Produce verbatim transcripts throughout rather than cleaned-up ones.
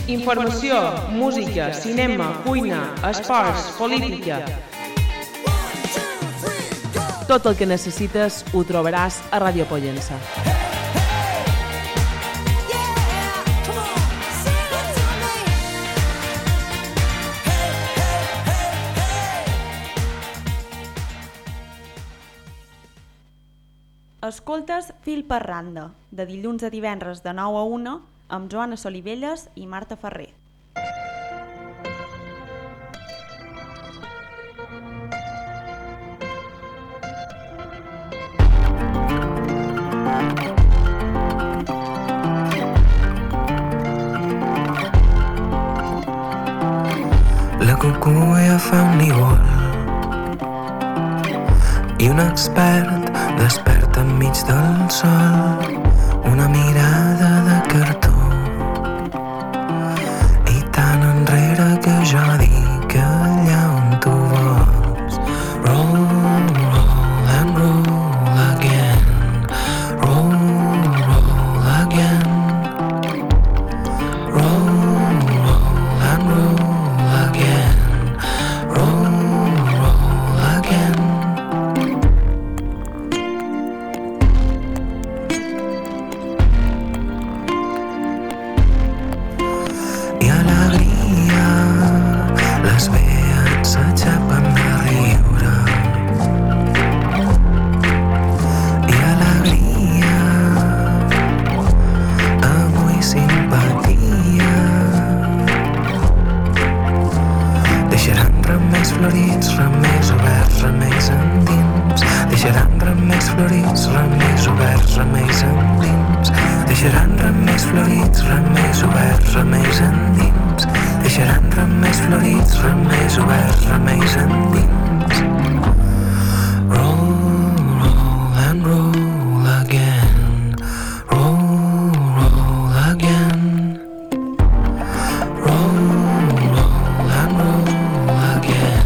Informació, música, cinema, cuina, esports, política... Tot el que necessites ho trobaràs a Ràdio Pollença. Escoltes Fil per randa, de dilluns a divendres de nou a una, amb Joana Solivelles i Marta Ferrer. La cucuia fa un nigol i un expert desperta enmig del sol, una mirada de cartó i tan enrere que jo dic allà on tu vols. Roll, roll and roll again, roll, roll again, roll, roll and roll again, roll, roll again. I alegria, les vees s'aixapen de riure. I alegria, avui simpatia. Deixaran remeis florits, remeis oberts, remeis endins. Deixaran remeis florits, remeis oberts, remeis endins. Deixaran remeis florits, remeis oberts, remeis endins. Deixaran remeis florits, remeis oberts, remeis endins. Roll, roll and roll again. Roll, roll again. Roll, roll and roll again.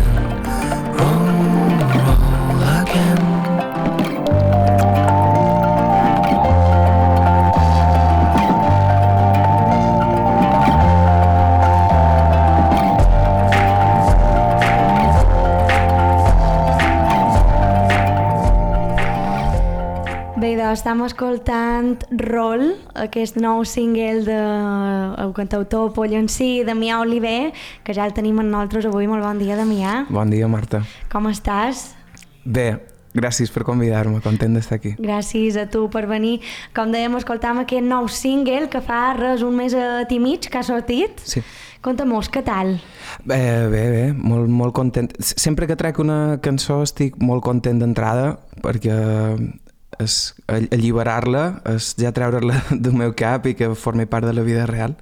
Roll, roll again. Bé, doncs estem escoltant Roll, aquest nou single del cantautor pollencí, Damià Oliver, que ja el tenim amb nosaltres avui. Molt bon dia, Damià. Bon dia, Marta. Com estàs? Bé, gràcies per convidar-me, content d'estar aquí. Gràcies a tu per venir. Com dèiem, escoltam aquest nou single que fa res un mes i mig que ha sortit. Sí. Conta-mos, què tal? Bé, bé, bé, molt, molt content. Sempre que trec una cançó estic molt content d'entrada, perquè és alliberar-la, és ja treure-la del meu cap i que formi part de la vida real.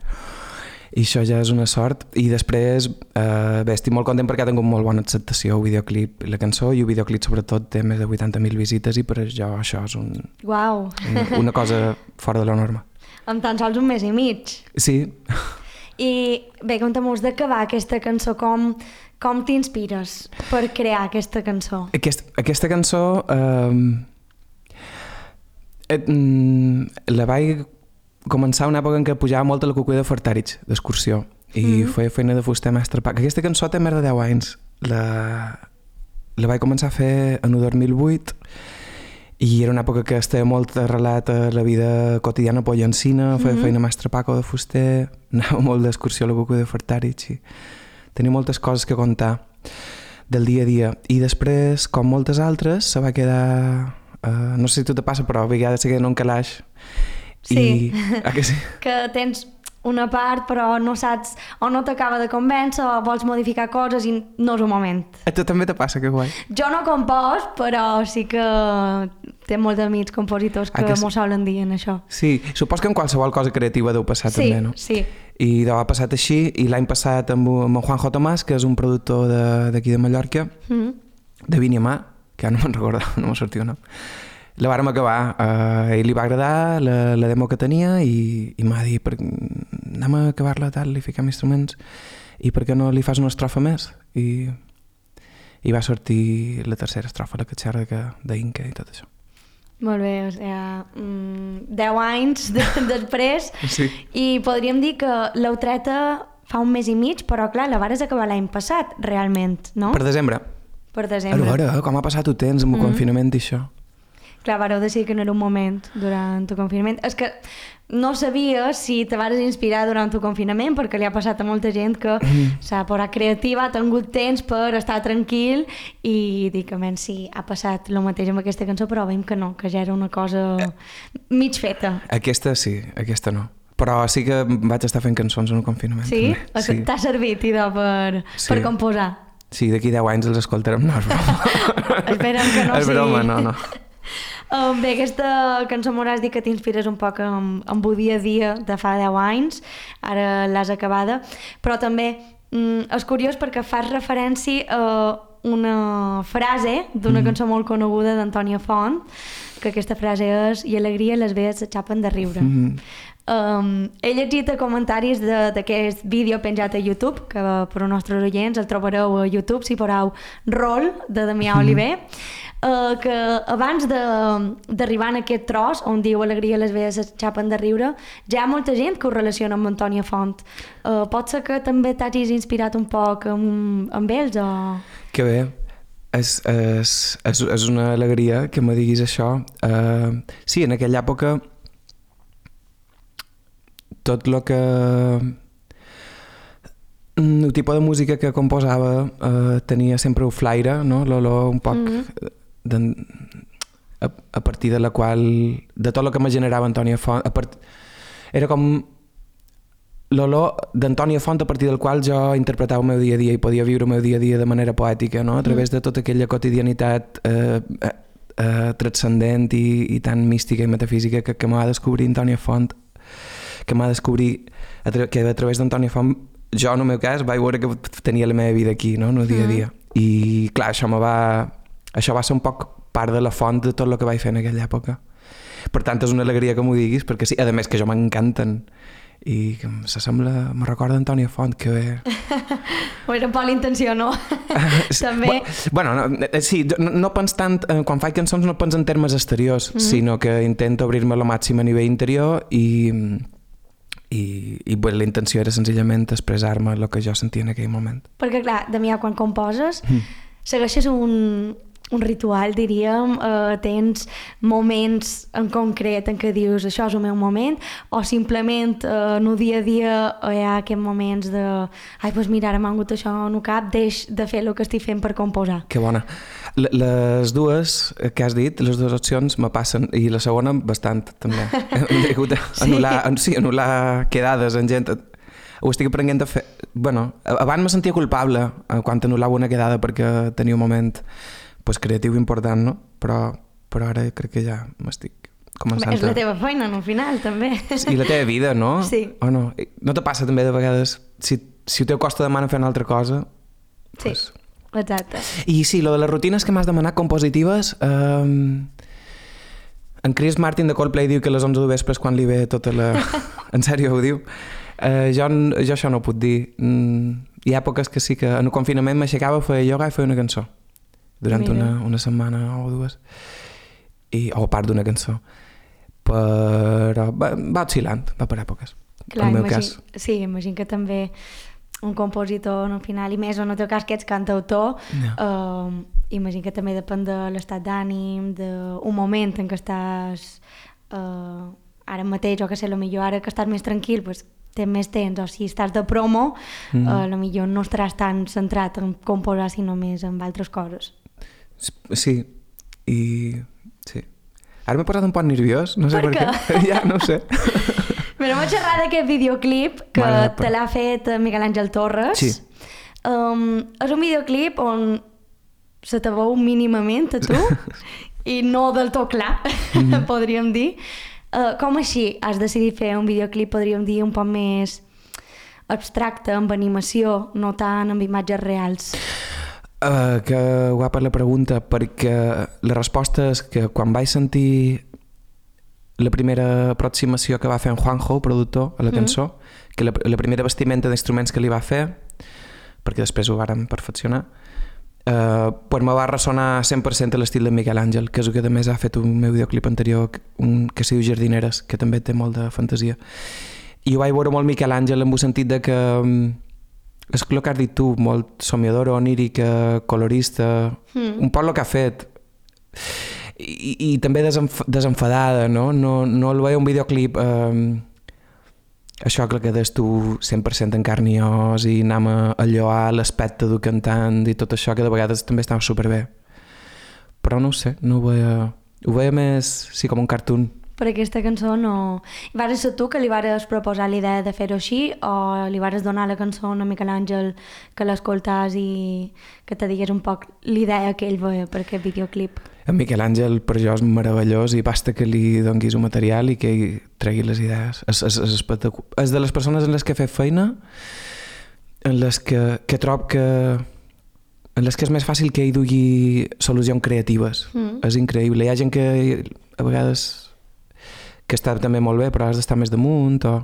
I això ja és una sort. I després, eh, bé, estic molt content perquè ha tingut molt bona acceptació el videoclip i la cançó, i el videoclip sobretot té més de vuitanta mil visites i per això això és un, Uau. una, una cosa fora de la norma. En tan sols un mes i mig. Sí. I bé, conta'm-nos de què va aquesta cançó, com, com t'inspires per crear aquesta cançó? Aquest, aquesta cançó eh, et, mm, la vaig començar una època en què pujava molt a la cucuia de Fortàrich, d'excursió, i mm-hmm. feia feina de fuster mestre pa. Aquesta cançó té més de deu anys. La, la vaig començar a fer en el dos mil vuit i era una època que estava molt arrelat a la vida quotidiana pollencina, feia mm-hmm. feina mestre Paco de fuster, anava molt d'excursió a la cucuia de Fortàrich i tenia moltes coses que contar del dia a dia. I després, com moltes altres, se va quedar... Uh, no sé si tu te passa, però a vegades se queda en un calaix. Sí, I, ah, que, sí? que tens una part però no saps, o no t'acaba de convèncer o vols modificar coses i no és un moment. A tu també te passa, que guai. Jo no compos, però sí que té molts amics compositors que, ah, que m'ho solen dir en això. Sí, supos que en qualsevol cosa creativa deu passar sí, també, no? Sí, I deu ha passat així, i l'any passat amb, amb en Juanjo Tomàs, que és un productor d'aquí de, de Mallorca, mm-hmm. de Vinyamà, que ara no me'n recordo, no m'ha sortit el nom. La vàrem acabar, a ell li va agradar la, la demo que tenia i, i m'ha dit, per, anem a acabar-la tal, li fiquem instruments i per què no li fas una estrofa més? I, i va sortir la tercera estrofa, la catxarra d'Inca i tot això. Molt bé, o sigui, mm, deu anys de, després Sí. i podríem dir que l'heu treta fa un mes i mig, però clar, la vares acabar l'any passat, realment, no? Per desembre. Per A desembre. veure, com ha passat el temps amb el Mhm. confinament i això. Clar, vareu decidir que no era un moment durant el confinament. És que no sabia si te vas inspirar durant el confinament, perquè li ha passat a molta gent que s'ha posat creativa, ha tingut temps per estar tranquil i dic, a menys si ha passat el mateix amb aquesta cançó, però veiem que no, que ja era una cosa mig feta. Aquesta sí, aquesta no. Però sí que vaig estar fent cançons en el confinament. Sí? També. O sigui, t'ha servit, idò, per, Sí. per composar? Sí, d'aquí deu anys els escoltarem. No, és broma. Esperem que no és sigui... broma, no, no. Um, bé, aquesta cançó m'hauràs dit que t'inspires un poc amb, amb el dia a dia de fa deu anys, ara l'has acabada, però també mm, és curiós perquè fas referència a una frase d'una mm. cançó molt coneguda d'Antònia Font, que aquesta frase és «I alegria les vees s'aixapen de riure». Mm. Um, he llegit comentaris d'aquest vídeo penjat a YouTube, que per als nostres oients el trobareu a YouTube si poseu Rol, de Damià Oliver, uh, que abans d'arribar en aquest tros on diu alegria les vees s'aixapen de riure, ja hi ha molta gent que ho relaciona amb Antònia Font. Uh, pot ser que també t'hagis inspirat un poc amb, amb ells o... Que bé. És, és, és, és una alegria que me diguis això. Uh, sí, en aquella època tot el que... El tipus de música que composava eh, tenia sempre un flaire, no? L'olor un poc... Mm-hmm. a, a partir de la qual... De tot el que me generava Antònia Font... A part, era com l'olor d'Antònia Font a partir del qual jo interpretava el meu dia a dia i podia viure el meu dia a dia de manera poètica, no? A través de tota aquella quotidianitat eh, eh, eh, transcendent i, i tan mística i metafísica que, que m'ha de descobrir Antònia Font, que m'ha de descobrir a tra que a través d'Antònia Font jo en el meu cas vaig veure que tenia la meva vida aquí, no? En el dia a dia. Mm. I clar, això, me va, això va ser un poc part de la font de tot el que vaig fer en aquella època. Per tant, és una alegria que m'ho diguis, perquè sí, a més que jo m'encanten i que s'assembla, me recorda Antònia Font, que bé. Era un poc l'intenció, no? També. Bueno, no, sí, no, no pens tant, quan faig cançons no pens en termes exteriors, mm-hmm. sinó que intento obrir-me lo màxim a nivell interior i, i, i bueno, la intenció era senzillament expressar-me el que jo sentia en aquell moment. Perquè clar, Damià, quan composes, mm. segueixes un, un ritual, diríem, eh, tens moments en concret en què dius això és el meu moment, o simplement eh, en el dia a dia hi ha aquests moments de ai, doncs mira, ara m'ha hagut això en el cap, deix de fer el que estic fent per composar. Que bona. Les dues que has dit, les dues opcions me passen, i la segona bastant també. He hagut d'anul·lar, sí, anul·lar quedades en gent. Ho estic aprenent a fer. Bueno, abans me sentia culpable quan anul·lava una quedada perquè tenia un moment pues, creatiu important, no? Però, però ara crec que ja m'estic començant a... És la teva feina, no, al final, també. I la teva vida, no? Sí. O no? No te passa també de vegades, si, si el teu costa demana fer una altra cosa... Sí, pues... exacte. I sí, lo de les rutines que m'has demanat compositives... Eh, en Chris Martin de Coldplay diu que a les onze de vespre és quan li ve tota la... En sèrio ho diu? Eh, jo, jo això no ho puc dir. Mm, hi ha èpoques que sí que en el confinament m'aixecava, feia ioga i feia una cançó. Durant una, una setmana o dues. I, o part d'una cançó. Però va, va oscil·lant, va per èpoques. Clar, en el meu imagine, cas. sí, imagino que també un compositor al final, i més en el teu cas que ets cantautor, no. eh, imagino que també depèn de l'estat d'ànim, d'un moment en què estàs eh, ara mateix, o que sé, potser ara que estàs més tranquil, pues, tens més temps, o si estàs de promo, mm. eh, potser no estaràs tan centrat en composar, sinó més en altres coses. Sí, i... sí. Ara m'he posat un poc nerviós, no sé per, per què. què. Ja, no ho sé. Però m'ha xerrat d'aquest videoclip que vale, te l'ha fet Miguel Àngel Torres. Sí. Um, és un videoclip on se te veu mínimament a tu i no del tot clar, mm-hmm. podríem dir. Uh, com així has decidit fer un videoclip, podríem dir, un poc més abstracte, amb animació, no tant amb imatges reals? Uh, que guapa la pregunta, perquè la resposta és que quan vaig sentir la primera aproximació que va fer en Juanjo, el productor, a la cançó, mm. que la, la primera vestimenta d'instruments que li va fer, perquè després ho vàrem perfeccionar, Uh, pues me va ressonar cent per cent a l'estil de Miquel Àngel, que és el que també ha fet un meu videoclip anterior, un, que es diu Jardineres, que també té molt de fantasia. I ho vaig veure molt Miquel Àngel en el sentit de que és el que has dit tu, molt somiadora, onírica, colorista, mm. un poc el que ha fet. I, i també desenf desenfadada, no? No, no el veia un videoclip... Eh, això que quedes tu cent per cent en carn i os i anem a alloar l'aspecte del cantant i tot això que de vegades també estava superbé. Però no ho sé, no ho veia... Ho veia més, sí, com un cartoon. Per aquesta cançó no... Vas ser tu que li vares proposar l'idea de fer-ho així o li vares donar la cançó a Miquel Àngel que l'escoltàs i que te digués un poc l'idea que ell veia per aquest videoclip? En Miquel Àngel per jo és meravellós i basta que li donguis un material i que ell tregui les idees. És, és, és, és de les persones en les que he fet feina en les que, que trob que en les que és més fàcil que ell dugui solucions creatives. Mm. És increïble. Hi ha gent que a vegades que està també molt bé però has d'estar més damunt o,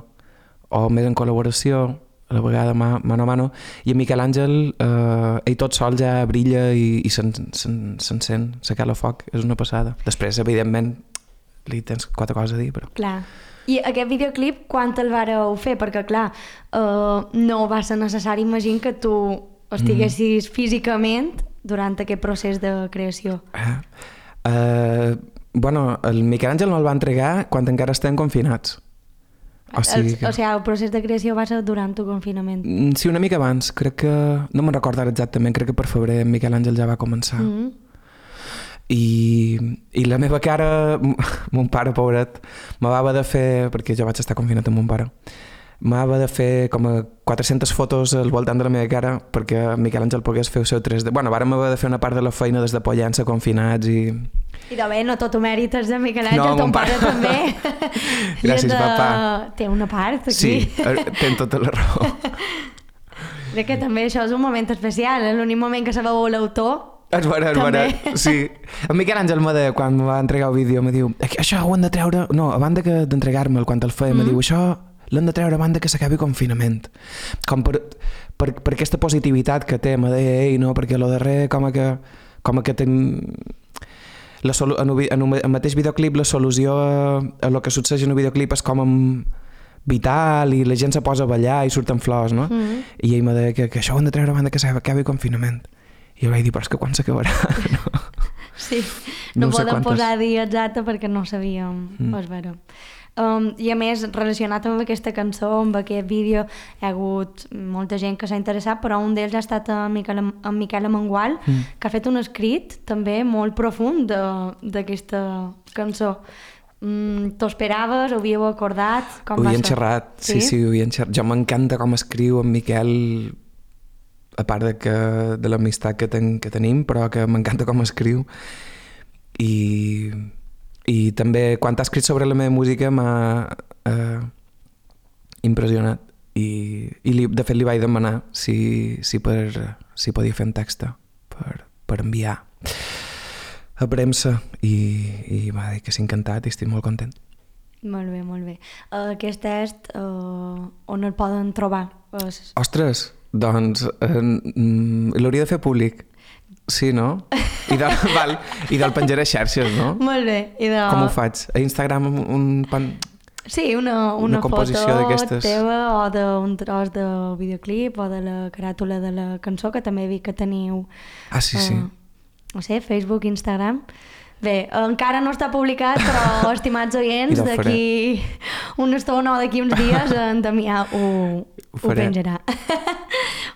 o més en col·laboració a la vegada mano a mano, i en Miquel Àngel eh, ell tot sol ja brilla i, i s'encén, se cala foc, és una passada. Després, evidentment, li tens quatre coses a dir, però... Clar. I aquest videoclip, quan te'l vareu fer? Perquè, clar, eh, no va ser necessari, imagino, que tu estiguessis mm. físicament durant aquest procés de creació. Eh? Uh, bueno, el Miquel Àngel no el va entregar quan encara estem confinats. O sigui, el, o sigui, el procés de creació va ser durant el confinament. Sí, una mica abans. Crec que... No me'n recordo exactament, crec que per febrer Miquel Àngel ja va començar. Mm -hmm. I, I la meva cara, mon pare, pobret, me va haver de fer, perquè jo vaig estar confinat amb mon pare, me va haver de fer com a quatre-centes fotos al voltant de la meva cara perquè Miquel Àngel pogués fer el seu tres D. Bueno, vàrem haver de fer una part de la feina des de Pollença confinats i... I de bé, no tot ho mèrites de Miquel Àngel, no, ton pare, pare també. Gràcies, de... papà. Té una part aquí. Sí, té tota la raó. Crec que també això és un moment especial, l'únic moment que sabeu l'autor. És vera, és vera, sí. En Miquel Àngel me deia, quan me va entregar el vídeo, me diu, això ho hem de treure... No, abans d'entregar-me'l, quan el feia, mm. me diu, això l'hem de treure abans que s'acabi confinament. Com per, per, per aquesta positivitat que té, me deia ell, no? Perquè lo darrer, com que, com que ten... La solu... en, un, en un mateix videoclip, la solució a, a lo que succeeix en un videoclip és com amb vital i la gent se posa a ballar i surten flors, no? Mm. I ell me deia que, que això ho hem de treure abans que s'acabi confinament. I jo vaig dir, però és que quan s'acabarà? No. Sí, no, no podem quantes... posar dia exacte perquè no sabíem, mm. pues veure. Um, I a més, relacionat amb aquesta cançó, amb aquest vídeo, hi ha hagut molta gent que s'ha interessat, però un d'ells ha estat en Miquel, en Miquel Amengual, mm. que ha fet un escrit també molt profund d'aquesta cançó. Mm, T'ho esperaves? Ho havíeu acordat? Com ho va havien ser? xerrat, sí, sí, sí ho havien xerrat. Jo m'encanta com escriu en Miquel, a part de, que, de l'amistat que, ten, que tenim, però que m'encanta com escriu. I, i també quan ha escrit sobre la meva música m'ha eh, impressionat. I, i li, de fet li vaig demanar si, si, per, si podia fer un text per, per enviar a premsa i, i va dir que s'ha encantat i estic molt content. Molt bé, molt bé. Uh, aquest test, uh, on el poden trobar? Uh, Ostres, doncs uh, l'hauria de fer públic. Sí, no? I del, val, i del penjaré a xarxes, no? Molt bé. I de... Com ho faig? A Instagram un... Pan... Sí, una, una, una composició foto teva o d'un tros del videoclip o de la caràtula de la cançó, que també he vist que teniu... Ah, sí, uh, sí. No sé, Facebook, Instagram... Bé, encara no està publicat, però, estimats oients, d'aquí una estona o d'aquí uns dies en Damià ho, ho, ho penjarà.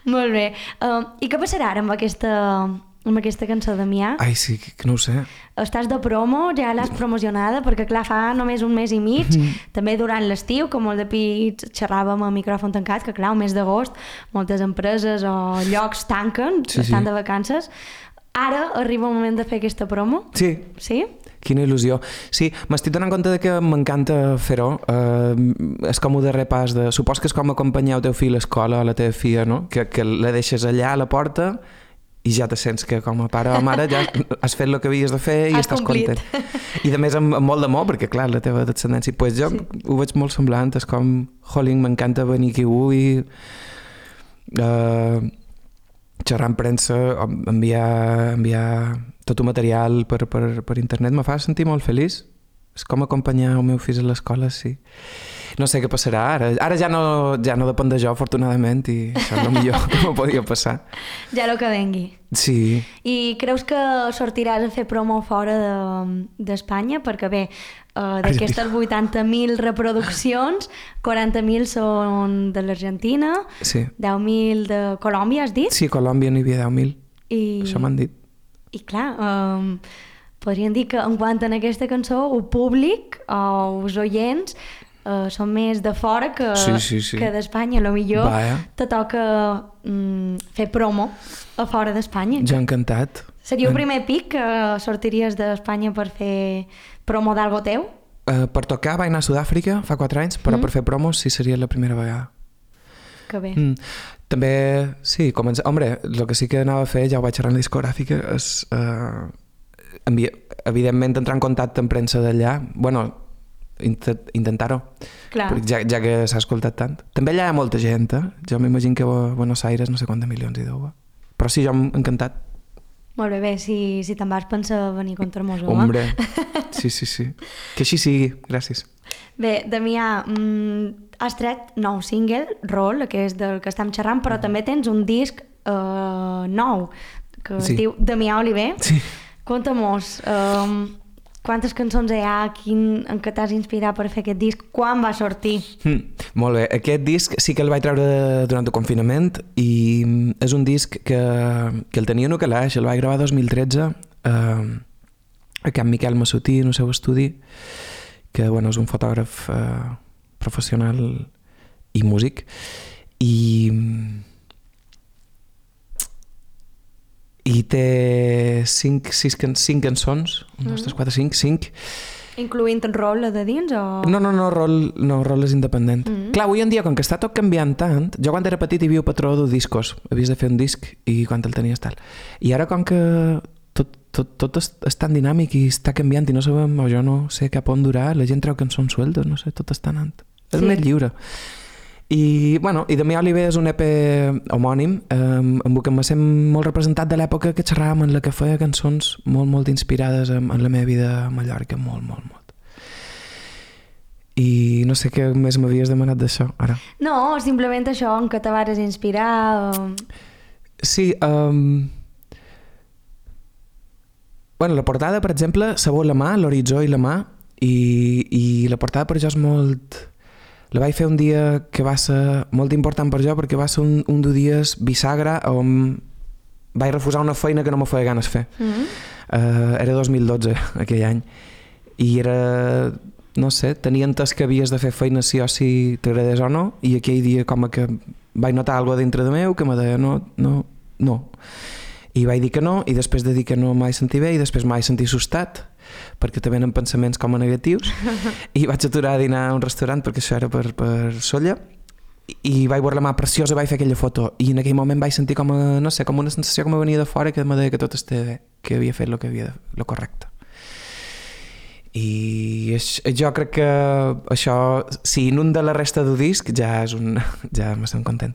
Molt bé. Uh, I què passarà ara amb aquesta, amb aquesta cançó, Damià? Ai, sí, que no ho sé. Estàs de promo, ja l'has promocionada, perquè clar, fa només un mes i mig, mm-hmm. també durant l'estiu, com molt de pits xerràvem a micròfon tancat, que clar, un mes d'agost, moltes empreses o llocs tanquen, sí, estan sí. de vacances. Ara arriba el moment de fer aquesta promo? Sí. Sí? Quina il·lusió. Sí, m'estic donant compte de que m'encanta fer-ho. Uh, és com un darrer pas de... Supos que és com acompanyar el teu fill a l'escola o la teva filla, no? Que, que la deixes allà a la porta i ja te sents que com a pare o mare ja has fet el que havies de fer i has estàs complit. content. I de més amb, amb molt d'amor, perquè clar, la teva descendència... Pues jo sí. ho veig molt semblant, és com... Jolín, m'encanta venir aquí avui... Uh, xerrar amb premsa, enviar, enviar tot el material per, per, per internet, me fa sentir molt feliç. És com acompanyar el meu fill a l'escola, sí. No sé què passarà ara. Ara ja no, ja no depèn de jo, afortunadament, i això és el millor que me podia passar. Ja el que vengui. Sí. I creus que sortiràs a fer promo fora d'Espanya? De, perquè bé, uh, d'aquestes vuitanta mil reproduccions, quaranta mil són de l'Argentina, sí. deu mil de Colòmbia, has dit? Sí, a Colòmbia n'hi havia deu mil. I... Això m'han dit. I clar, um, podríem dir que en quant a aquesta cançó, el públic o els oients uh, són més de fora que, sí, sí, sí. que d'Espanya. A lo millor Vaja. te toca um, fer promo a fora d'Espanya. Ja encantat. Seria el primer pic que sortiries d'Espanya per fer promo d'algo teu? Uh, per tocar vaig anar a Sud-àfrica fa quatre anys, però mm. per fer promos sí seria la primera vegada. Que bé. Mm. També, sí, comença... Hombre, el que sí que anava a fer, ja ho vaig xerrar en la discogràfica, és... Uh, envia... evidentment entrar en contacte amb premsa d'allà. Bueno, int intentar-ho. Clar. Ja, ja que s'ha escoltat tant. També allà hi ha molta gent, eh? Jo m'imagino que a Buenos Aires no sé quants milions hi deu. Però sí, jo m'he encantat. Molt bé, bé, si, si te'n vas pensar venir contra mos, home. Hombre, sí, sí, sí. Que així sigui, gràcies. Bé, Damià, mm, has tret nou single, Roll, que és del que estem xerrant, però també tens un disc uh, nou, que es sí. diu Damià Oliver. Sí. Conta-mos, um, quantes cançons hi ha, quin, en què t'has inspirat per fer aquest disc, quan va sortir? Mm, molt bé, aquest disc sí que el vaig treure durant el confinament i és un disc que, que el tenia en un calaix, el vaig gravar dos mil tretze eh, a Can Miquel Massutí, en el seu estudi, que bueno, és un fotògraf eh, professional i músic, i i té cinc, sis, cinc cançons, un, dos, tres, quatre, cinc, cinc. Incloent en Roll, la de dins, o...? No, no, no, Roll, no, Roll és independent. Mm -hmm. Clar, avui en dia, com que està tot canviant tant, jo quan era petit hi havia un patró de discos, havies de fer un disc i quan el tenies tal. I ara com que tot, tot, tot és, és tan dinàmic i està canviant i no sabem, o jo no sé cap on durar, la gent treu cançons sueltes, no sé, tot està anant. És sí. més lliure. I, bueno, i Damià Oliver és un E P homònim eh, amb el que em sent molt representat de l'època que xerràvem, en la que feia cançons molt, molt inspirades en, en la meva vida a Mallorca, molt, molt, molt. I no sé què més m'havies demanat d'això, ara. No, simplement això, en què te vas inspirar... O... Sí, um... bueno, la portada, per exemple, sabó la mà, l'horitzó i la mà, i, i la portada per jo és molt... La vaig fer un dia que va ser molt important per jo perquè va ser un, un dels dies bisagra on vaig refusar una feina que no me feia ganes fer. Mm-hmm. uh, era dos mil dotze, aquell any. I era, no sé, tenia entès que havies de fer feina sí o sí t'agradés o no, i aquell dia com que vaig notar alguna cosa dintre de meu que me deia no, no, no. I vaig dir que no, i després de dir que no m'he sentit bé, i després m'he sentit assustat, perquè te venen pensaments com a negatius, i vaig aturar a dinar a un restaurant, perquè això era per, per Solla, i vaig veure la mà preciosa, vaig fer aquella foto, i en aquell moment vaig sentir com a, no sé, com una sensació que me venia de fora, que me deia que tot estava bé, que havia fet el que havia de, lo correcte. I jo crec que això, si inunda la resta del disc, ja és un... ja m'estem content.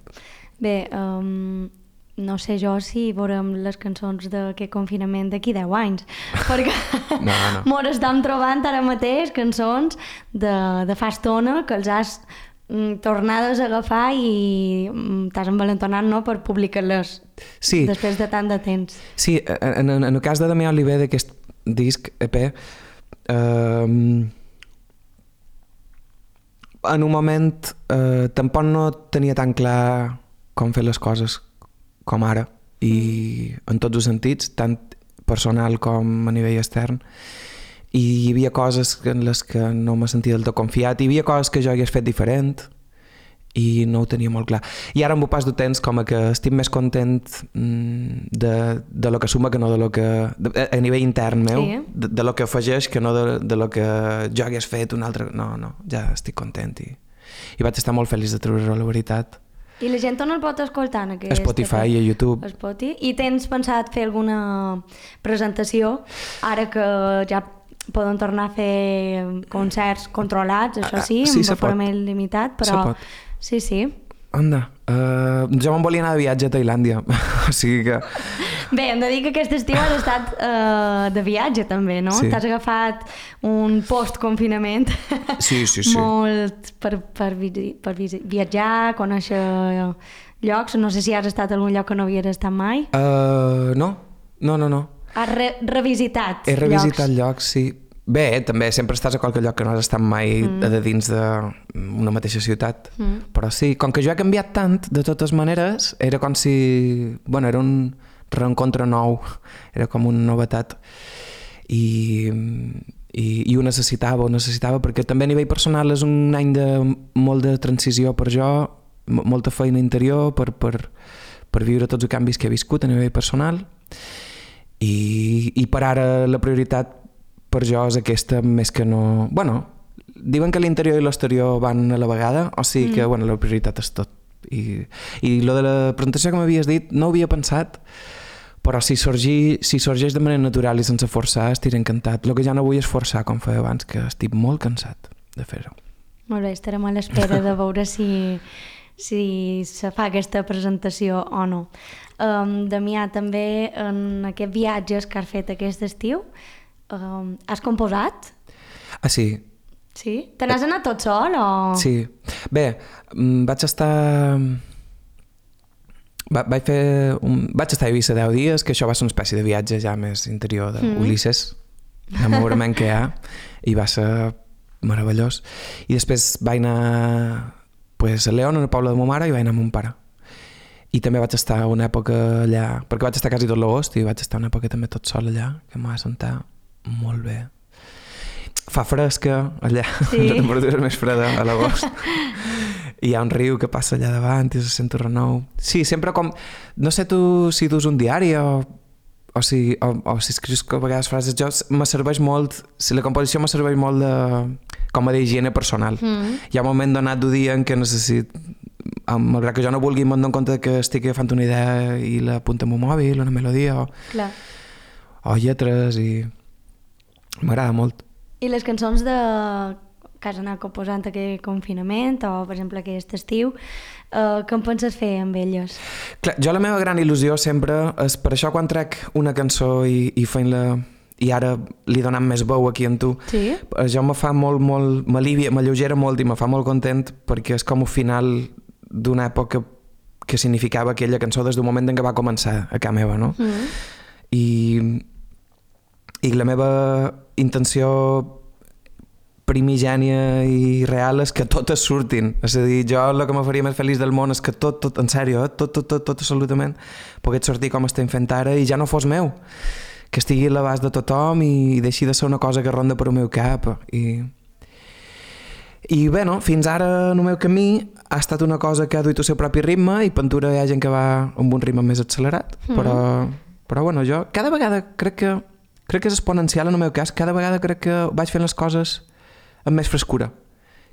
Bé, um... no sé jo si veurem les cançons d'aquest confinament d'aquí deu anys, perquè no, no. mos estem trobant ara mateix cançons de, de fa estona que els has mm, tornades a agafar i mm, t'has envalentonat, no?, per publicar-les sí. després de tant de temps. Sí, en, en, en el cas de Damià Oliver d'aquest disc E P, eh, en un moment eh, tampoc no tenia tan clar com fer les coses com ara, i en tots els sentits, tant personal com a nivell extern, i hi havia coses en les que no me sentia del tot confiat, hi havia coses que jo hagués fet diferent i no ho tenia molt clar. I ara amb el pas del temps com que estic més content de, de lo que suma que no de lo que... De, a nivell intern meu, sí. de, de lo que afegeix que no de, de lo que jo hagués fet un altre... No, no, ja estic content i, i vaig estar molt feliç de treure-ho, la veritat. I la gent on el pot escoltar? En aquest, Spotify i a YouTube. Spotify. I tens pensat fer alguna presentació ara que ja poden tornar a fer concerts controlats, això sí, sí, amb format limitat, però... Se pot. Sí, sí. anda, uh, jo me'n volia anar de viatge a Tailàndia, o sigui que... Bé, hem de dir que aquest estiu has estat uh, de viatge també, no? Sí. T'has agafat un post-confinament Sí, sí, sí. molt per, per, vi per vi viatjar, conèixer llocs. No sé si has estat a algun lloc que no havies estat mai. Uh, no, no, no, no. Has re revisitat He revisitat llocs. llocs, sí. Bé, també sempre estàs a qualque lloc que no has estat mai mm. de dins d'una mateixa ciutat. Mm. Però sí, com que jo he canviat tant, de totes maneres, era com si... Bueno, era un reencontre nou, era com una novetat. I, i, i ho necessitava, ho necessitava, perquè també a nivell personal és un any de molt de transició per jo, molta feina interior per, per, per viure tots els canvis que he viscut a nivell personal. I, i per ara la prioritat per jo és aquesta més que no... Bueno, diuen que l'interior i l'exterior van a la vegada, o sigui mm. que bueno, la prioritat és tot. I, i lo de la presentació que m'havies dit no ho havia pensat, però si, sorgi, si sorgeix de manera natural i sense forçar estiré encantat. El que ja no vull és forçar com feia abans, que estic molt cansat de fer-ho. Molt bé, estarem a l'espera de veure si, si se fa aquesta presentació o no. Um, Damià, també en aquests viatges que has fet aquest estiu, Um, has composat? Ah, sí. Sí? Te n'has anat tot sol o...? Sí. Bé, vaig estar... Va, vaig fer... Un... Vaig estar a Eivissa deu dies, que això va ser una espècie de viatge ja més interior d'Ulisses, mm. de moviment que hi ha, i va ser meravellós. I després vaig anar pues, a León, al poble de ma mare, i vaig anar amb mon pare. I també vaig estar una època allà, perquè vaig estar quasi tot l'agost, i vaig estar una època també tot sol allà, que em va sentar molt bé. Fa fresca allà, sí. La temperatura és més freda a l'agost. I hi ha un riu que passa allà davant i se sent un renou. Sí, sempre com... No sé tu si dus un diari o, o, si, o, o si escrius a vegades frases. Jo me serveix molt... Si la composició me serveix molt de, com a d'higiene personal. Mm. Hi ha un moment donat d'un dia en què necessit... Malgrat que jo no vulgui, me'n dono compte que estic agafant una idea i la apunto amb un mòbil, una melodia o, Clar. o lletres i... M'agrada molt. I les cançons de... que has anat composant aquest confinament o, per exemple, aquest estiu, eh, què en penses fer amb elles? Clar, jo la meva gran il·lusió sempre és per això quan trec una cançó i, i feim-la i ara li donant més veu aquí en tu, sí? Jo me fa molt, molt, m'alivia, m'alleugera molt i me fa molt content perquè és com un final d'una època que significava aquella cançó des d'un moment en què va començar a casa meva, no? Mm. I, i la meva intenció primigènia i real és que totes surtin. És a dir, jo el que me faria més feliç del món és que tot, tot, en sèrio, eh? tot, tot, tot, tot absolutament pogués sortir com estem fent ara i ja no fos meu. Que estigui a l'abast de tothom i deixi de ser una cosa que ronda per el meu cap. I, i bé, no, fins ara en el meu camí ha estat una cosa que ha duit el seu propi ritme i pintura hi ha gent que va amb un ritme més accelerat, mm. però, però bueno, jo cada vegada crec que crec que és exponencial en el meu cas, cada vegada crec que vaig fent les coses amb més frescura.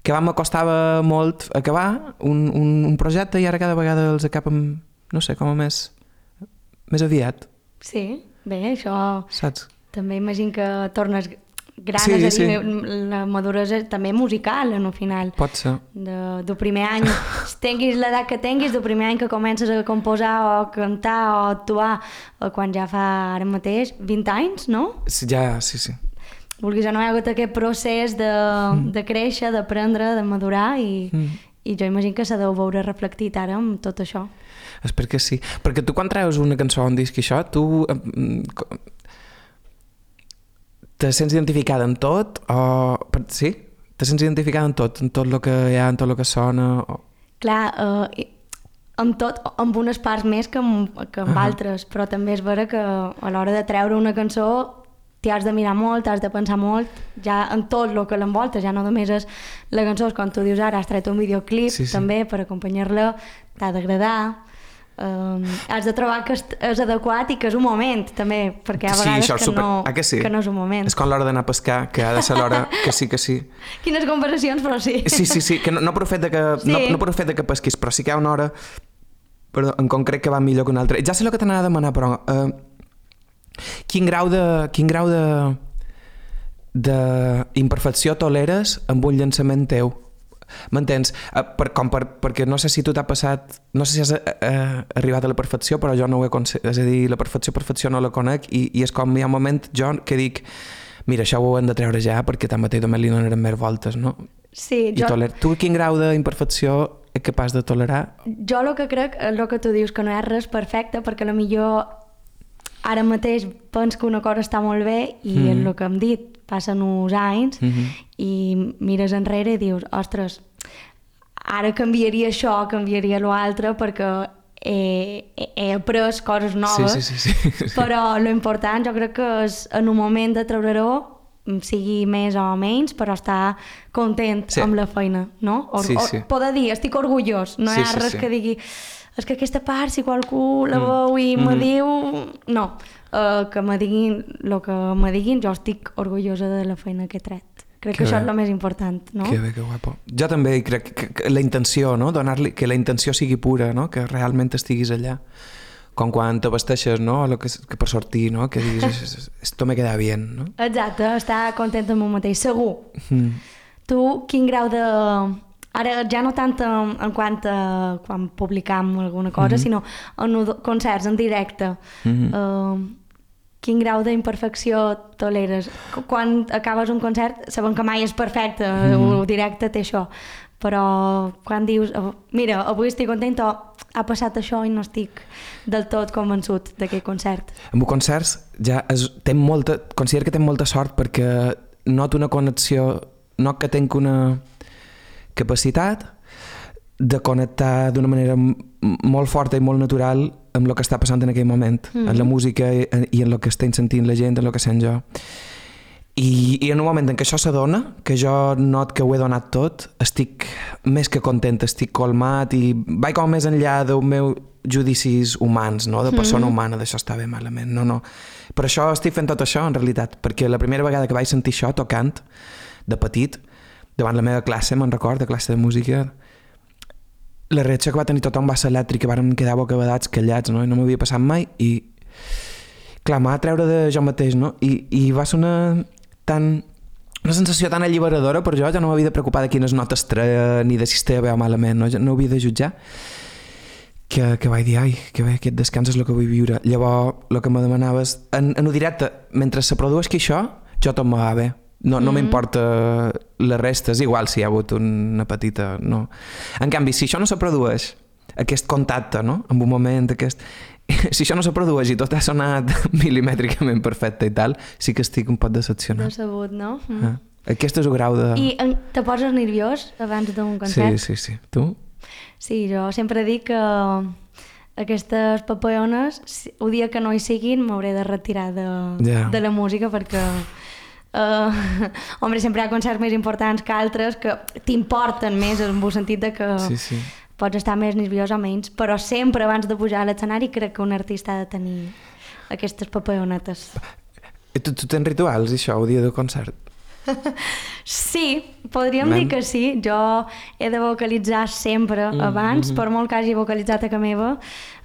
Que abans m'acostava molt acabar un, un, un projecte i ara cada vegada els acabo amb, no sé, com a més, més aviat. Sí, bé, això... Saps? També imagino que tornes gran, sí, és a dir, sí. La maduresa també musical, en el final. Pot ser. De, del primer any, si tinguis l'edat que tinguis, del primer any que comences a composar o a cantar o a actuar, o quan ja fa ara mateix vint anys, no? Sí, ja, sí, sí. Vulguis o no, hi ha hagut aquest procés de, mm. de créixer, d'aprendre, de madurar i, mm. i jo imagino que s'ha de veure reflectit ara amb tot això. Espero que sí. Perquè tu quan treus una cançó o un disc i això, tu te sents identificada en tot? O... Sí? Te sents identificada en tot? En tot el que hi ha, en tot el que sona? O... Clar, eh, amb tot, amb unes parts més que amb, que amb uh -huh. altres, però també és vera que a l'hora de treure una cançó t'hi has de mirar molt, t'has de pensar molt, ja en tot el que l'envolta, ja no només és la cançó, és com tu dius ara, has tret un videoclip sí, sí. també per acompanyar-la, t'ha d'agradar, um, has de trobar que és adequat i que és un moment també, perquè hi ha vegades sí, que, super... no, ah, que, sí? que no és un moment. És com l'hora d'anar a pescar, que ha de ser l'hora que sí, que sí. Quines comparacions, però sí. Sí, sí, sí, que no, no per el fet de que, sí. no, no per el fet de que pesquis, però sí que hi ha una hora perdó, en concret que va millor que una altra. Ja sé el que t'anava a demanar, però... Uh, Quin grau de quin grau de d'imperfecció toleres amb un llançament teu? M'entens? Uh, per, com per, perquè no sé si tu t'ha passat... No sé si has uh, arribat a la perfecció, però jo no ho he aconseguit. És a dir, la perfecció, perfecció no la conec i, i és com hi ha un moment jo que dic mira, això ho hem de treure ja perquè tanmateix només li donarem més voltes, no? Sí, I jo... toler... Tu quin grau d'imperfecció és capaç de tolerar? Jo el que crec és el que tu dius, que no hi ha res perfecte, perquè a lo millor ara mateix penso que una cosa està molt bé i mm. és el que hem dit, passen uns anys mm-hmm. i mires enrere i dius, ostres, ara canviaria això, canviaria l'altre perquè he, he après coses noves, sí, sí, sí, sí. però l'important jo crec que és en un moment de treure-ho, sigui més o menys, però estar content sí. amb la feina, no? O, sí, sí. o poder dir, estic orgullós, no sí, hi ha sí, res sí. que digui és que aquesta part, si qualcú la veu i mm. me diu... No, uh, que me diguin el que me diguin, jo estic orgullosa de la feina que he tret. Crec que, que això bé. És el més important, no? Que bé, que guapo. Jo també crec que, que la intenció, no? Donar-li, que la intenció sigui pura, no? Que realment estiguis allà. Com quan te vesteixes, no? O que, que per sortir, no? Que diguis, esto me queda bien, no? Exacte, estar content amb un mateix, segur. Mm. Tu, quin grau de... Ara ja no tant en, en quant a quan publicam alguna cosa, mm-hmm. sinó en concerts, en directe. Mm-hmm. Uh, quin grau d'imperfecció toleres? Quan acabes un concert, sabem que mai és perfecte, mm-hmm. el directe té això, però quan dius, oh, mira, avui estic content o ha passat això i no estic del tot convençut d'aquell concert. Amb concerts ja es, ten molta, considero que tinc molta sort perquè noto una connexió, no que tinc una capacitat de connectar d'una manera molt forta i molt natural amb el que està passant en aquell moment, mm-hmm. en la música i, i en el que estem sentint la gent, en el que sent jo. I, i en un moment en què això s'adona, que jo not que ho he donat tot, estic més que content, estic colmat i vaig com més enllà dels meus judicis humans, no? De persona mm-hmm. humana, d'això està bé, malament. No, no. Per això estic fent tot això, en realitat, perquè la primera vegada que vaig sentir això tocant, de petit, davant la meva classe, me'n record, de classe de música, la reacció que va tenir tothom va ser elèctrica, vàrem quedar bocabadats, callats, no? I no m'havia passat mai, i clar, m'ha de treure de jo mateix, no? I, i va ser una tan... una sensació tan alliberadora per jo, ja no m'havia de preocupar de quines notes treia, ni de si estava bé o malament, no? Ja no havia de jutjar, que, que vaig dir, ai, que bé, aquest descans és el que vull viure. Llavors, el que me demanaves, en, en ho directe, mentre se produeix que això, jo tot me va bé. No, no mm-hmm. m'importa la resta, és igual si hi ha hagut una petita... No. En canvi, si això no se produeix, aquest contacte, no? En un moment, aquest... Si això no se produeix i tot ha sonat milimètricament perfecte i tal, sí que estic un poc decepcionat. Decebut, no? Mm. Ah. Aquest és el grau de... I en, te poses nerviós abans d'un concert? Sí, sí, sí. Tu? Sí, jo sempre dic que aquestes papallones, el dia que no hi siguin, m'hauré de retirar de, yeah. de la música perquè... Uh, home, sempre hi ha concerts més importants que altres que t'importen més en el sentit de que sí, sí. pots estar més nerviós o menys, però sempre abans de pujar a l'escenari crec que un artista ha de tenir aquestes papallonetes. Tu, tu tens rituals, això, el dia del concert? Sí, podríem Man. dir que sí. Jo he de vocalitzar sempre mm, abans, mm-hmm. per molt que hagi vocalitzat a casa meva.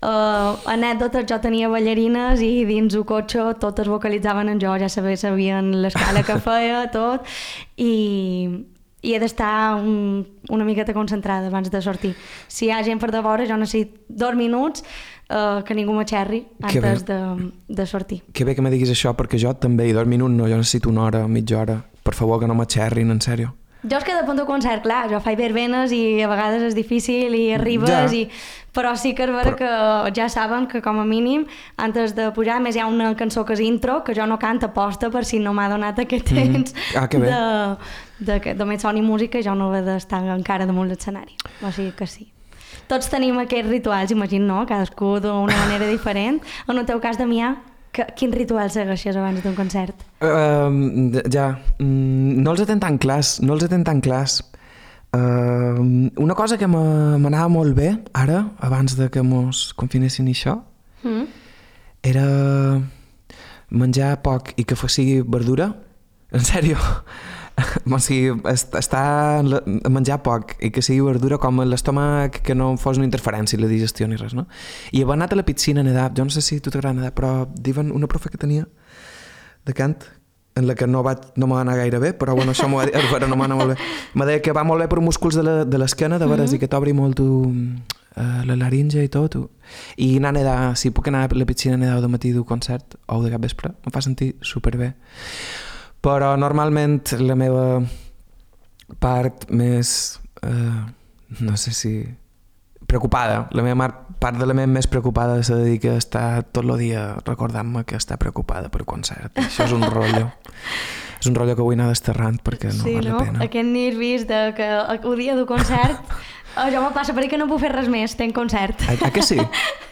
Uh, anècdotes, jo tenia ballarines i dins el cotxe totes vocalitzaven en jo, ja sabia, sabien l'escala que feia, tot, i, i he d'estar un, una miqueta concentrada abans de sortir. Si hi ha gent per de vora, jo necessito dos minuts uh, que ningú m'aixerri antes de, de sortir. Que bé que me diguis això, perquè jo també, i dos minuts no, jo necessito una hora, mitja hora. Per favor, que no m'aixerrin, en sèrio. Jo és que depèn del concert, clar, jo faig verbenes i a vegades és difícil i arribes, ja. i... però sí que és vera Però... que ja saben que com a mínim, antes de pujar, més hi ha una cançó que és intro, que jo no canto aposta per si no m'ha donat aquest temps mm. ah, de, de que només soni música i jo no he d'estar encara damunt l'escenari. O sigui que sí. Tots tenim aquests rituals, imagino, no? Cadascú d'una manera diferent. En el teu cas, Damià, que, quin ritual segueixes abans d'un concert? Uh, ja, mm, no els he ten tan clars, no els he ten tan clars. Uh, una cosa que m'anava molt bé, ara, abans de que mos confinessin això, mm. era menjar poc i que sigui verdura. En sèrio. O sigui, estar a menjar poc i que sigui verdura com l'estómac, que no fos una interferència la digestió ni res, no? I haver anat a la piscina a nedar, jo no sé si tu t'agrada nedar, però diuen una profe que tenia de cant en la que no, va, no m'ha anat gaire bé, però bueno, això m'ho va dir, però no m'ha anat molt bé. M'ha dit que va molt bé per músculs de l'esquena, de veres, mm-hmm. i que t'obri molt tu, uh, la laringe i tot. Tu. I anar a nedar, si puc anar a la piscina a nedar de matí d'un concert o de cap vespre, em fa sentir superbé. Però normalment la meva part més, uh, no sé si... preocupada, la meva part de la meva més preocupada se dedica a estar tot el dia recordant-me que està preocupada per concert. Això és un rotllo. És un rotllo que vull anar desterrant perquè no sí, val no? la pena. Aquest nervis de que el dia del concert oh, jo me passa perquè no puc fer res més, tenc concert. A, a que sí?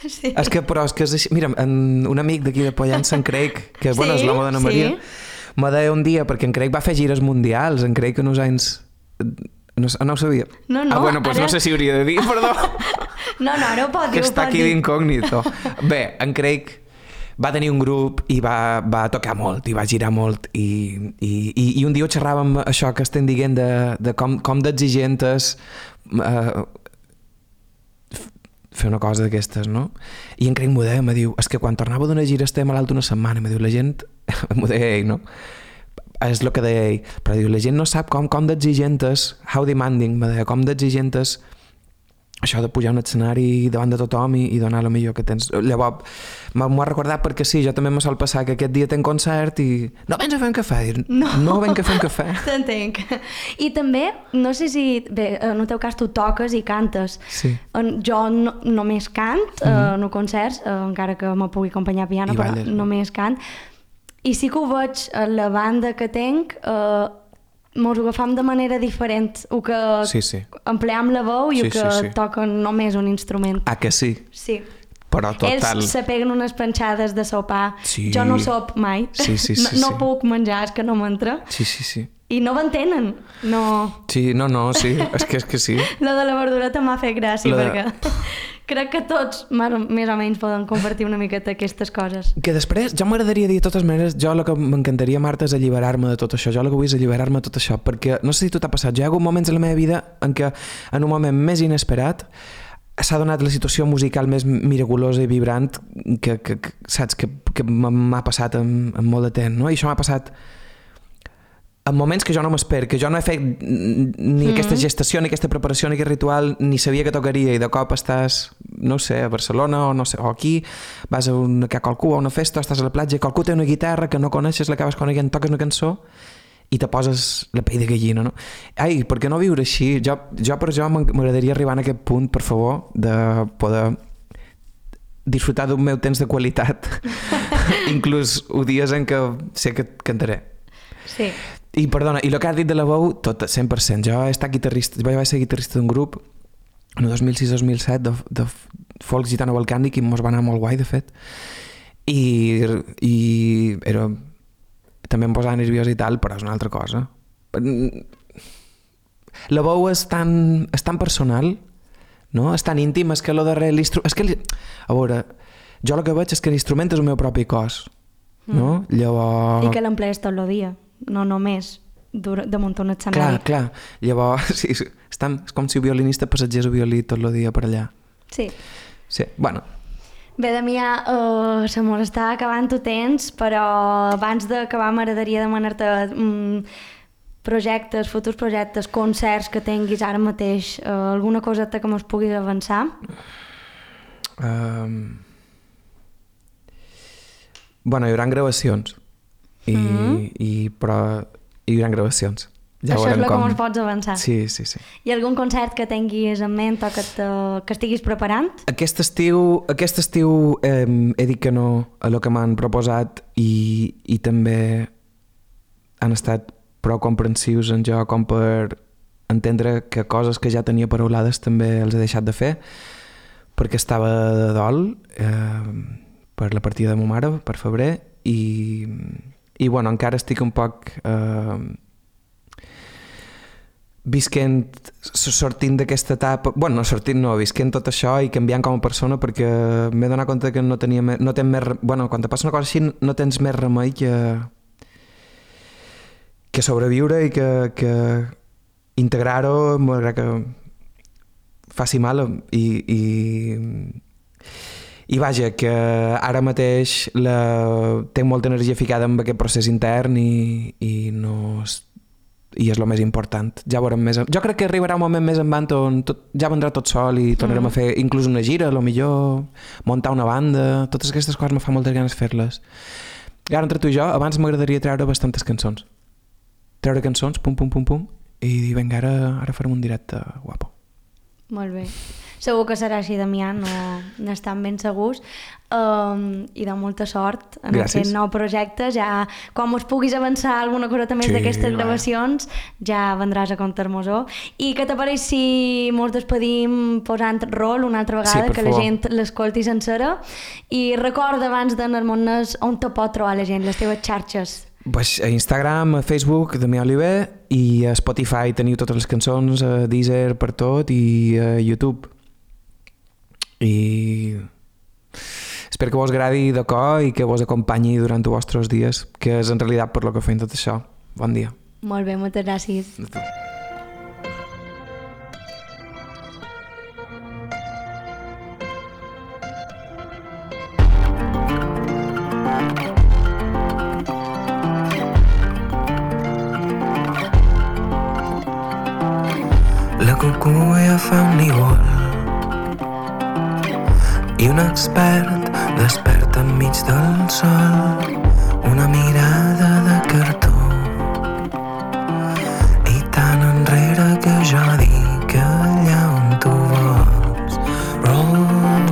Sí. És que, però és que és així. Mira, en, un amic d'aquí de Pollença, en Craig, que sí? bueno, és l'home d'Anna Maria, sí? M'ha deia un dia, perquè en Craig va fer gires mundials, en Craig en uns anys... No, no ho sabia. No, no, ah, bueno, doncs ara... no sé si hauria de dir, perdó. No, no, ara ho pot dir. Que està aquí d'incògnito. Bé, en Craig va tenir un grup i va, va tocar molt, i va girar molt, i, i, i, i un dia ho xerràvem això que estem dient de, de com, com d'exigent és eh, fer una cosa d'aquestes, no? I en Craig m'ho deia, me diu, és que quan tornava d'una gira estem malalt una setmana, me diu, la gent, m'ho deia ell, no? És el que deia ell, però diu, la gent no sap com, com d'exigent és, how demanding, me deia, com d'exigent és això de pujar a un escenari davant de tothom i, i donar el millor que tens. Llavors, m'ho ha recordat perquè sí, jo també me sol passar que aquest dia tenc concert i no vens a fer un cafè? No, no venc a fer un cafè. T'entenc. I també, no sé si, bé, en el teu cas tu toques i cantes. Sí. Jo no, només cant, mm-hmm. eh, en concerts, eh, encara que me pugui acompanyar a piano, I però balles, només cant. I sí que ho veig a la banda que tenc, eh, mos ho agafam de manera diferent, o que sí, sí. empleam la veu i sí, o que sí, sí. toquen només un instrument. Ah, que sí? Sí. Però total... Ells se peguen unes panxades de sopar. Sí. Jo no sop mai. Sí, sí, sí, no, no sí. puc menjar, és que no m'entra. Sí, sí, sí. I no m'entenen. No... Sí, no, no, sí. És que, és que sí. Lo de la verdureta m'ha fet gràcia, de... perquè crec que tots més o menys poden compartir una miqueta aquestes coses. Que després, jo m'agradaria dir de totes maneres, jo el que m'encantaria, Marta, és alliberar-me de tot això. Jo el que vull és alliberar-me de tot això, perquè no sé si tu t'ha passat, jo hi ha hagut moments a la meva vida en què, en un moment més inesperat, s'ha donat la situació musical més miraculosa i vibrant que, que, que saps, que, que m'ha passat en, en molt de temps, no? I això m'ha passat en moments que jo no m'espero, que jo no he fet ni mm-hmm. aquesta gestació, ni aquesta preparació, ni aquest ritual, ni sabia que tocaria, i de cop estàs, no sé, a Barcelona o, no sé, o aquí, vas a, una, a qualcú a una festa, estàs a la platja, qualcú té una guitarra que no coneixes, l'acabes coneguent, toques una cançó i te poses la pell de gallina, no? Ai, per què no viure així? Jo, jo per jo m'agradaria arribar a aquest punt, per favor, de poder disfrutar d'un meu temps de qualitat, inclús o dies en què sé que cantaré. Sí. I perdona, i el que has dit de la veu, tot, cent per cent. Jo he estat guitarrista, vaig ser guitarrista d'un grup en el dos mil sis dos mil set de, de folk gitano balcànic i mos va anar molt guai, de fet. I, i era... també em posava nerviós i tal, però és una altra cosa. La veu és tan, és tan personal, no? És tan íntim, és que lo darrere l'instrument... És que, a veure, jo el que veig és que l'instrument és el meu propi cos, no? Mm. Llavors... I que l'emplees tot el dia. No només damunt un escenari. Clar, clar. Llavors, sí, estan, és com si el violinista passegés el violí tot el dia per allà. Sí. Sí, bueno. Bé, Damià, uh, se mos està acabant el temps, però abans d'acabar m'agradaria demanar-te um, projectes, futurs projectes, concerts que tinguis ara mateix, uh, alguna coseta que mos puguis avançar? Um... Bueno, hi haurà gravacions. I, mm-hmm. i, però hi haurà gravacions. Ja Això és el com... que ens pots avançar. Sí, sí, sí. Hi ha algun concert que tinguis en ment o que, te, que estiguis preparant? Aquest estiu, aquest estiu eh, he dit que no a el que m'han proposat i, i també han estat prou comprensius en jo com per entendre que coses que ja tenia paraulades també els he deixat de fer perquè estava de dol eh, per la partida de ma mare, per febrer, i i bueno, encara estic un poc eh, visquent, sortint d'aquesta etapa, bueno, no sortint no, visquent tot això i canviant com a persona perquè m'he donat compte que no tenia més, no tens més, bueno, quan te passa una cosa així no tens més remei que que sobreviure i que, que integrar-ho malgrat que faci mal i, i I vaja, que ara mateix la... tenc molta energia ficada en aquest procés intern i, i no... i és el més important. Ja veurem més... Jo crec que arribarà un moment més endavant on tot, ja vendrà tot sol i tornarem mm. a fer inclús una gira, a lo millor muntar una banda, totes aquestes coses me fa moltes ganes fer-les. I ara entre tu i jo, abans m'agradaria treure bastantes cançons. Treure cançons, pum, pum, pum, pum, i dir, vinga, ara, ara farem un directe guapo. Molt bé. Segur que serà així, Damià, no n'estan ben segurs. Um, I de molta sort en Gràcies. aquest nou projecte. Ja, quan us puguis avançar alguna cosa també Sí, d'aquestes va. gravacions, ja vendràs a comptar-nos-ho. I què t'apareix si mos despedim posant rol una altra vegada, Sí, per que la favor. gent l'escolti sencera? I recorda abans d'anar-nos on te pot trobar la gent, les teves xarxes. Pues a Instagram, a Facebook, Damià Oliver, i a Spotify teniu totes les cançons, a Deezer per tot, i a YouTube. I espero que vos agradi de cor i que vos acompanyi durant els vostres dies, que és en realitat per lo que fem tot això. Bon dia. Molt bé, moltes gràcies. De tu. La cucuia fa un nivol i un expert desperta enmig del sol, una mirada de cartó i tan enrere que jo dic allà on tu vols. Roll,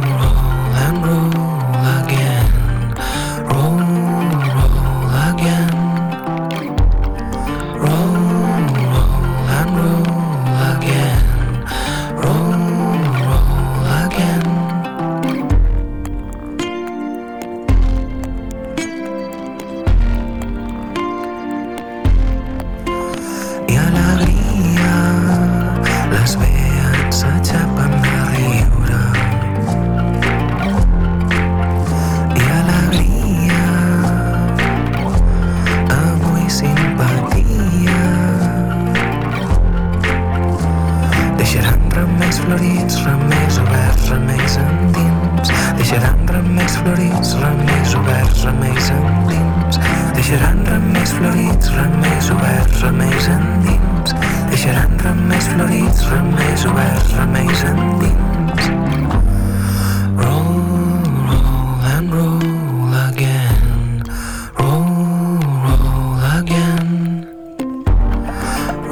roll and roll again. Roll, roll again. Roll, roll and roll again. Roll, roll again. I alegria, les vees s'aixapen de riure. I alegria, avui simpatia. Deixaran remeis florits, remeis oberts, remeis endins. Deixaran remeis florits, remeis oberts, remeis endins. Deixaran remeis florits, remeis oberts, remeis endins. Deixaran remeis florits, remeis oberts, remeis endins. Roll, roll and roll again. Roll, roll again.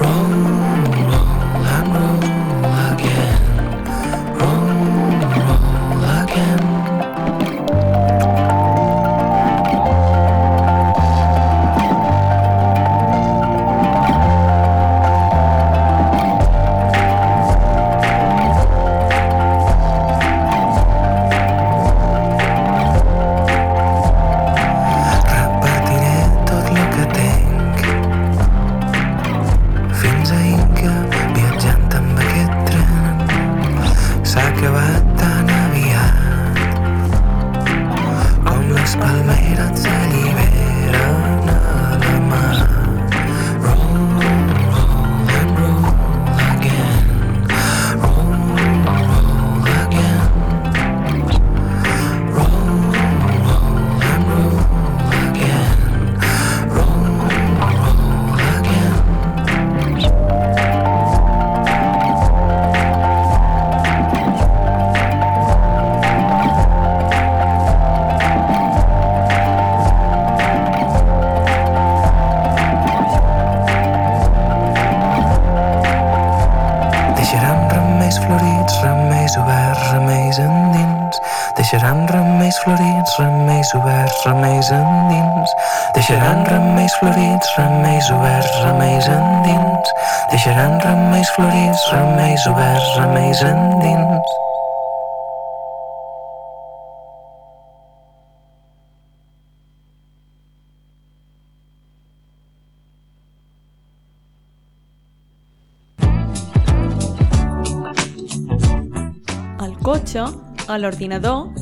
Roll, roll and roll again. Roll, roll again. Repartiré tot el que tenc fins a Inca, viatjant amb aquest tren. S'ha acabat tan aviat com les palmeres s'alliberen a la mar. Roll, roll and roll again. Roll, roll again. Roll, roll and roll again. Roll, roll again. Deixaran remeis florits, remeis oberts, remeis endins. Deixaran remeis florits, remeis oberts, remeis endins. Deixaran remeis florits, remeis oberts, remeis endins. Deixaran remeis florits, remeis oberts, remeis endins. Al cotxe, a l'ordinador